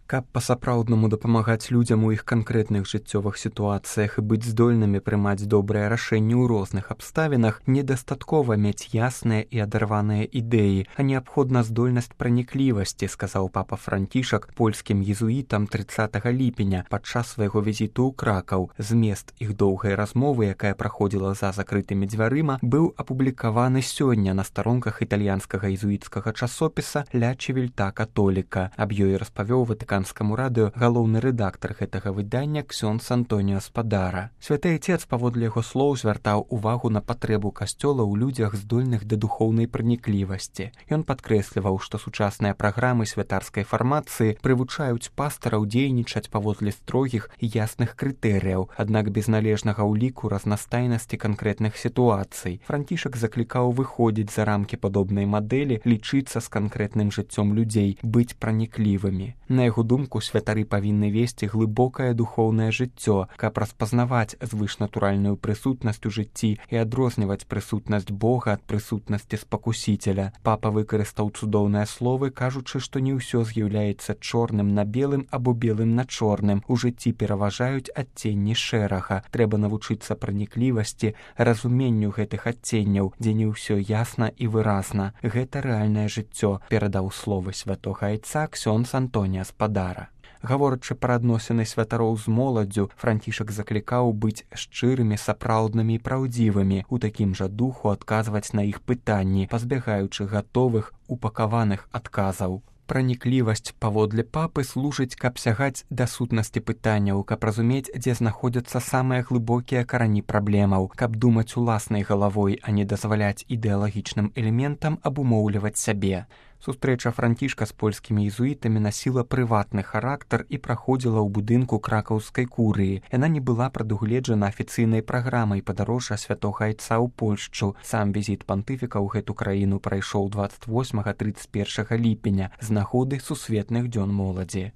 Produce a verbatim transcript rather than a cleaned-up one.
Каб па-сапраўднаму дапамагаць людзям у іх канкрэтных жыццёвых сітуацыях і быць здольнымі прымаць добрыя рашэнні ў розных абставінах, недастаткова мець ясныя і адарваныя ідэі, а неабходна здольнасць праніклівасці, сказаў папа Францішак польскім езуітам трыццатага ліпеня падчас свайго візіту ў Кракаў. Змест іх доўгай размовы, якая праходзіла за закрытымі дзвярыма, быў апублікаваны сёння на старонках італьянскага езуіцкага часопіса «Ля Чивільта Католіка». Аб ёй распавёў ватыканскаму радыё галоўны рэдактар гэтага выдання ксёндз Антоніо Спадара. Святы Айцец, паводле яго слоў, звяртаў увагу на патрэбу касцёла ў людзях, здольных да духоўнай праніклівасці. Ён падкрэсліваў, што сучасныя праграмы святарскай фармацыі прывучаюць пастараў дзейнічаць паводле строгіх і ясных крытэрыяў, аднак без належнага ўліку разнастайнасці канкрэтных сітуацый. Францішак заклікаў выходзіць за рамкі падобнай мадэлі, лічыцца з канкрэтным жыццём людзей, быць праніклівымі. На яго думку, святары павінны весці глыбокае духоўнае жыццё, каб распазнаваць звышнатуральную прысутнасць у жыцці і адрозніваць прысутнасць Бога ад прысутнасці спакусіцеля. Папа выкарыстаў цудоўныя словы, кажучы, што не ўсё з'яўляецца чорным на белым або белым на чорным. У жыцці пераважаюць адценні шэрага. Трэба навучыцца праніклівасці, разуменню гэтых адценняў, дзе не ўсё ясна і выразна. Гэта рэальнае жыццё, перадаў словы святога Айца ксёндз Антоніо Спадара. Гаворачы пра адносіны святароў з моладдзю, Францішак заклікаў быць шчырымі, сапраўднымі і праўдзівымі, у такім жа духу адказваць на іх пытанні, пазбягаючы гатовых, упакаваных адказаў. Праніклівасць, паводле папы, служыць, каб сягаць да сутнасці пытанняў, каб разумець, дзе знаходзяцца самыя глыбокія карані праблемаў, каб думаць уласнай галавой, а не дазваляць ідэалагічным элементам абумоўліваць сябе. Сустрэча Францішка з польскімі езуітамі насіла прыватны характар і праходзіла ў будынку кракаўскай курыі. Яна не была прадугледжана афіцыйнай праграмай падарожжа святога Айца ў Польшчу. Сам візіт пантыфіка ў гэту краіну прайшоў дваццаць восьмага трыццаць першага ліпеня з нагоды сусветных дзён моладзі.